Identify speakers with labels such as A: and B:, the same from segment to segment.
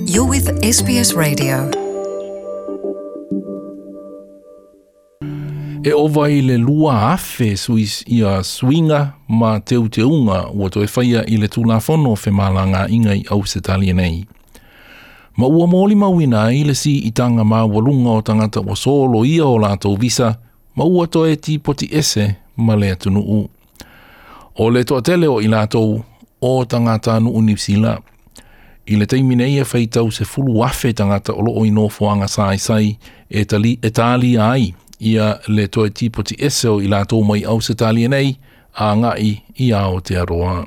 A: You're with SBS Radio. E ova i le 2,000 suis, ia suiga ma teuteuga ua toe faia i le Tulafono o Femalagaaiga i Ausetalia nei. Ma ua molimauina ai le siitaga maualuga o tagata ua soloia o latou visa ma ua toe tipoti ese ma le atunuu. O le toatele o i latou o tagatanuu Niu Sila. I le taimi nei e faitau 10,000 tagata o loo i nofoaga saisai e, tali, e talia ai ia le toe tipoti ese o i latou mai Ausetalia nei agai i Aotearoa.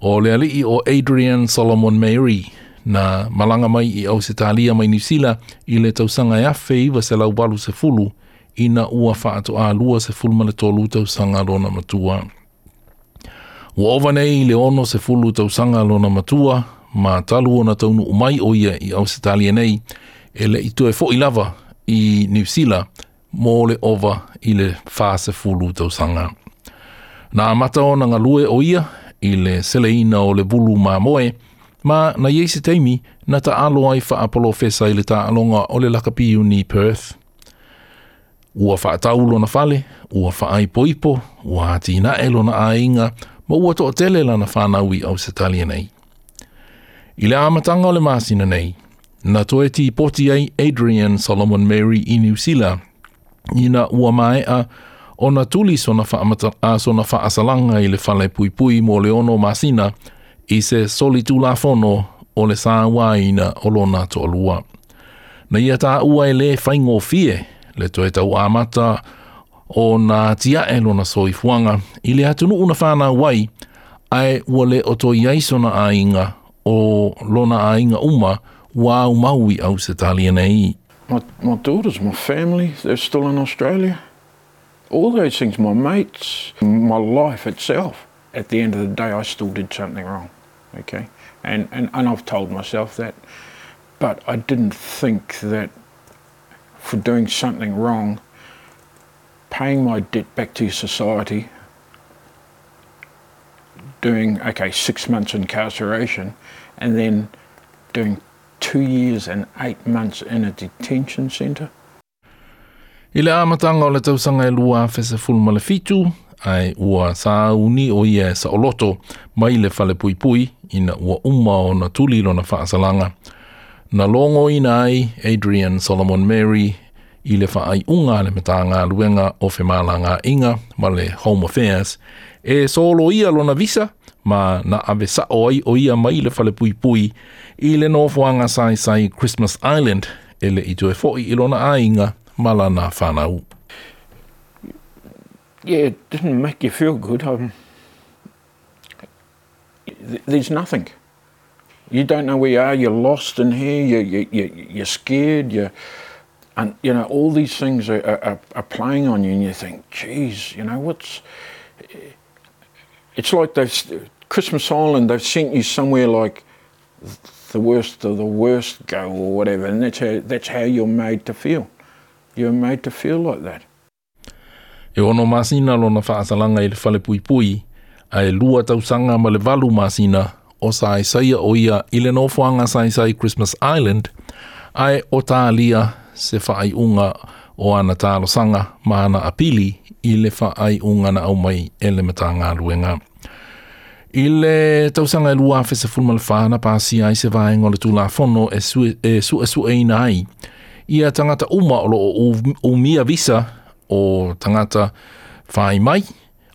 A: O le alii o Adrian Solomon Mary na malaga mai i Ausetalia mai Niu Sila i le tausaga e 1980 ina ua faatoa 23 tausaga lona matua. Ua ova nei i le 60 tausaga lona matua ma talu ona taunuu mai o ia i Ausetalia nei e le i toe foi lava i Niu Sila mo le ova i le 40 tausaga. Na amata ona galue o ia i le seleina o le vulu mamoe, ma na i ai se taimi na taalo ai faapolofesa i le taaloga o le lakapi uni Perth. Ua faatau lona fale, ua faaipoipo, ua atinae lona aiga, ma ua toatele lana fanau i Ausetalia nei. I le amataga o le masina nei, na toe tipoti ai Adrian Solomon Mary i Niu Sila, ina ua maea ona tuli sona, faamata, a sona faasalaga i le fale puipui mo le 6 masina i se solitulafono o le sauaina o lona toalua. Na ia taua e le faigofie le toe tau amata o na atiae lona soifuaga i le atunuu na fanau ai, ae ua le o toe i ai sona aiga o lona aiga uma ua aumau i Ausetalia nei.
B: My daughters, my family, they're still in Australia. All those things, my mates, my life itself. At the end of the day, I still did something wrong, okay? And, and, and I've told myself that. But I didn't think that for doing something wrong, paying my debt back to society, doing, okay, 6 months incarceration, and then doing 2 years and 8 months in a detention centre.
A: I le amataga o le tausaga e 2017, ae ua sauni o ia e saoloto mai le falepuipui ina ua uma ona tuli lona faasalaga. Na logoina ai Adrian Solomon Mary i le faaiuga a le Matagaluega o Femalagaaiga ma le Home Affairs e soloia lona visa ma na ave sao ai o ia mai le falepuipui i le nofoaga saisai Christmas Island e le i toe foi i lona aiga ma lana fanau.
B: Yeah, it didn't make you feel good. There's nothing. You don't know where you are, you're lost in here, you're scared, and you know, all these things are playing on you and you think, jeez, you know, what's... It's like they've, Christmas Island, they've sent you somewhere like the worst of the worst go and that's how you're made to feel. You're made to feel like that.
A: E 6 masina lona faasalaga i le falepuipui, ae 2 tausaga ma le 8 masina o saisaia o ia i le nofoaga saisai Christmas Island, ae o talia se faaiuga o ana talosaga ma ana apili i le faaiuga na aumai e le Matagaluega. I le tausaga e 2014 na pasia ai se vaega o le Tulafono e suesueina ai ia tagata uma o loo umia visa o tagata whai mai,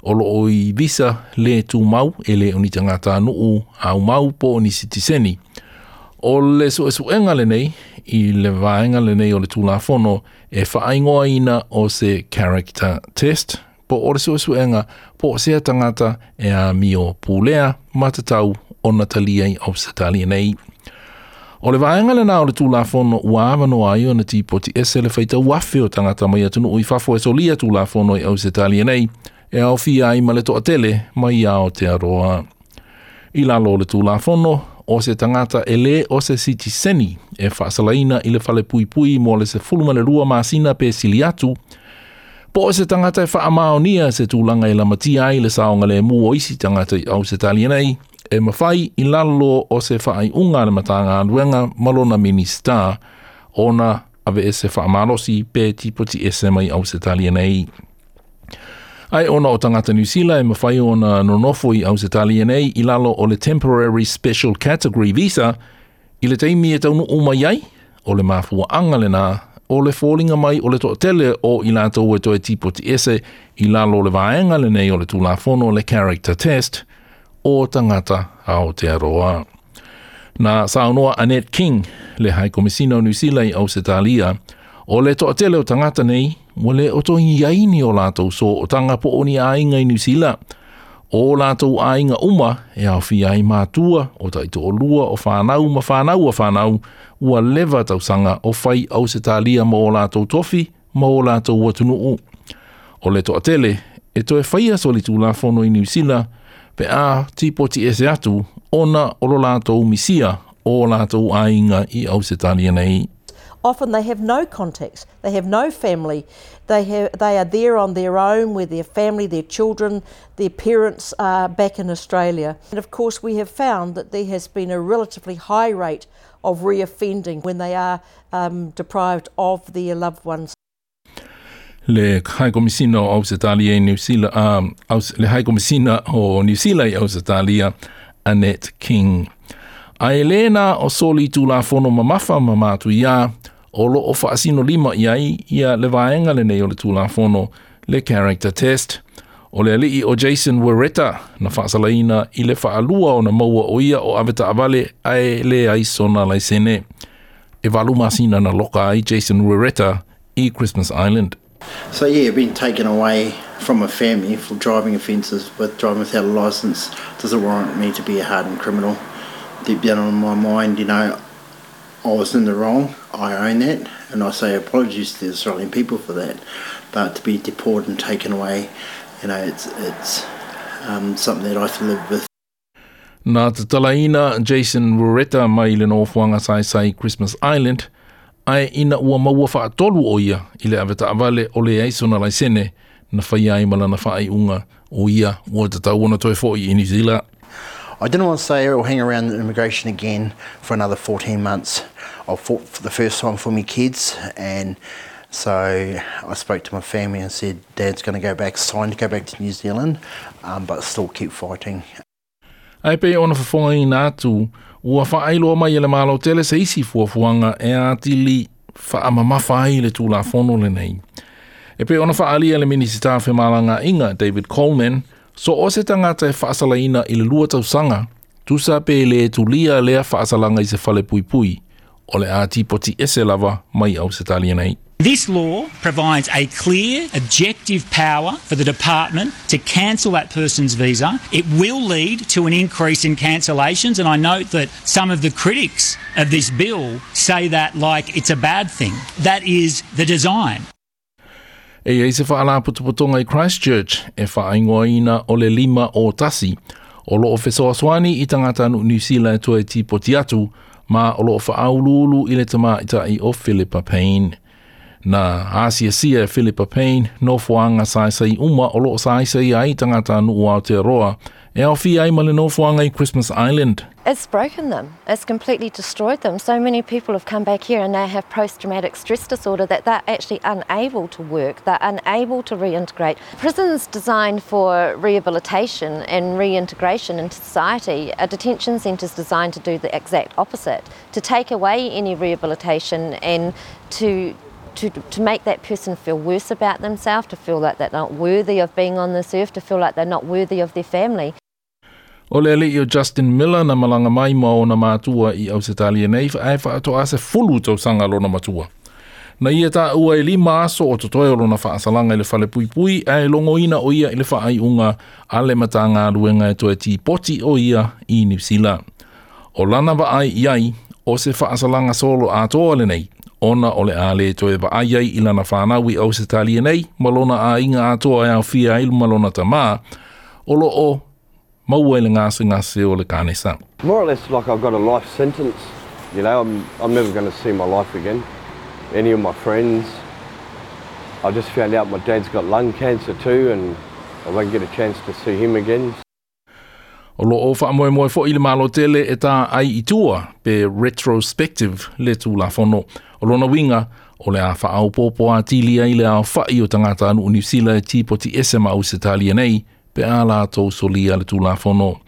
A: o loo i visa le tumau e le o ni tagata nuu au mau po o ni sitiseni. O le suesuega lenei i le vaega lenei o le Tulafono e whaaingoaina o se character test, po o le suesuega po o sea tagata e a mio pulea matatau o natalia i Ausetalia nei. O le vaega lena o le Tulafono ua avanoa ai ona tipoti ese le faitau afe o tagata mai atunuu i fafo e solia Tulafono i Ausetalia nei, e aofia ai ma le toatele mai Aotearoa. I lalo o le Tulafono, o se tagata e le o se sitiseni e faasalaina i le falepuipui mo le 12 masina pe sili atu, po o se tagata e faamaonia se tulaga e lamatia ai le saogalemu o isi tagata i Ausetalia nei, e mafai i lalo o se faaiuga a le Matagaluega ma lona Minisita ona aveese faamalosi pe tipoti ese mai Ausetalia nei. Ae ona o tagata Niu Sila e mafai ona nonofo i Ausetalia nei i lalo o le Temporary Special Category Visa i le taimi e taunuu mai ai, o le mafuaaga lena o le foliga mai o le toatele o i latou e toe tipoti ese i lalo o le vaega lenei o le Tulafono le Character Test o tagata Aotearoa. Na saunoa Annette King, le High Komisina o Niu Sila i Ausetalia, o le toatele o tagata nei, ua le o toe i ai ni o latou sootaga po o ni aiga i Niu Sila. O latou aiga uma e aofia ai matua, o taitoalua, o whanau ma whanau a whanau, ua leva tausaga o fai Ausetalia ma o latou tofi ma o latou atunuu. O le toatele e toe faia solitulafono i Niu Sila pe a tipoti ese atu ona o lo latou misia o latou aiga i Ausetalia nei.
C: Often they have no contacts, they have no family, they are there on their own with their family, their children, their parents are back in Australia. And of course we have found that there has been a relatively high rate of reoffending when they are deprived of their loved ones.
A: Le High Komisina o Ausetalia i Niu Sila, le High Komisina o Niu Sila i Ausetalia, Annette King. Ae le na o soli tulafono mamafa ma matuia, o lo o faasino lima i ai ia le vaega lenei o le tulafono le character test. O le alii o Jason Wereta na faasalaina i le faalua o na maua o ia o avetaavale ae le ai sona laisene. E 8 masina na loka ai Jason Wereta i Christmas Island.
D: So yeah, being taken away from a family for driving offences with driving without a licence doesn't warrant me to be a hardened criminal. Deep down in my mind, you know, I was in the wrong, I own that, and I say apologies to the Australian people for that. But to be deported and taken away, you know, it's something that I have to live with.
A: Na tatalaina Jason Wereta mai le nofoaga saisai Christmas Island, ae ina ua maua faatolu o ia i le avetaavale o le ai sona laisene na whai ai malana whaaiunga o ia ua tatau ona toe fo'i i New Zealand.
D: I didn't want to stay or hang around immigration again for another 14 months. I fought for the first time for my kids, and so I spoke to my family and said, Dad's going to go back, signed to go back to New Zealand, but still keep fighting.
A: Ae pe ona fafoga ina atu, ua faailoa mai e le malo tele se isi fuafuaga e atili faamamafa ai le tulafono lenei. E pe ona faalia le Minisita Femalagaaiga David Coleman, so o se tagata e faasalaina i le 2 tausaga, tusa pe le tulia lea faasalaga i se fale puipui, o le a tipoti ese lava mai Ausetalia nei.
E: This law provides a clear, objective power for the department to cancel that person's visa. It will lead to an increase in cancellations, and I note that some of the critics of this bill say that like it's a bad thing. That is the design.
A: E iai se faalapotopotoga i Christchurch e faaingoaina o le 5 o tasi, o loo fesoasoani i tagata Niu Sila e toe tipoti atu, ma o loo faauluulu i le tamaitai o Philippa Payne. Na asiasia e Philippa Payne nofoaga saisai uma o loo saisai ai tagata nuu Aotearoa e aofia ai ma le nofoaga i Christmas Island.
F: It's broken them. It's completely destroyed them. So many people have come back here and they have post-traumatic stress disorder that they're actually unable to work, they're unable to reintegrate. Prison's designed for rehabilitation and reintegration into society. A detention centre is designed to do the exact opposite, to take away any rehabilitation and to make that person feel worse about themselves, to feel like they're not worthy of being on this earth, to feel like they're not worthy of their family.
A: O le alii o Justin Miller na malanga mai ma ona matua i Ausetalia nei ae faatoa se 10 tausaga lona matua. Na ia taua e 5 aso o totoe o lona faasalaga i le fale puipui ae logoina o ia i le faaiuga a le Matagaluega e toe tipoti o ia i Niu Sila. O lana vaai i ai o se faasalaga solo atoa lenei, ona o le a le toe vaai ai i lana whanau i Ausetalia nei, ma lona aiga atoa e aofia ai ma lona tamā, o loo maua i le gasegase o le kanesa.
G: More or less like I've got a life sentence. You know, I'm never going to see my life again. Any of my friends. I just found out my dad's got lung cancer too, and I won't get a chance to see him again.
A: O lo o faamoemoe foi le Malo tele e tā ai i tua pe retrospective le Tulafono. O lona uiga, o le a faaopoopo atili ai le aofa'i o tagatanuu Niu Sila e tipoti ese ma Ausetalia nei pe a latou solia le Tulafono.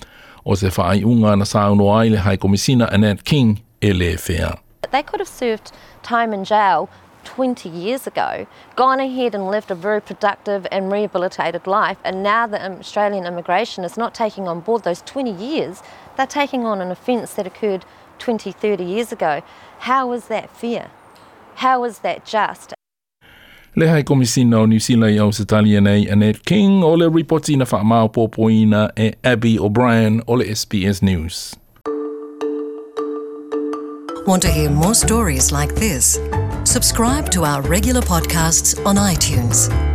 A: O se faaiuga na saunoa ai le High Komisina Annette King e lē fea.
F: They could have served time in jail 20 years ago, gone ahead and lived a very productive and rehabilitated life, and now the Australian immigration is not taking on board those 20 years, they're taking on an offence that occurred 20, 30 years ago. How is that fair? How is that just?
A: Le High Komisina o Niu Sila i Ausetalia nei Annette King o le ripoti na faamaopoopoina e Abby O'Brien o le SBS News.
H: Want to hear more stories like this? Subscribe to our regular podcasts on iTunes.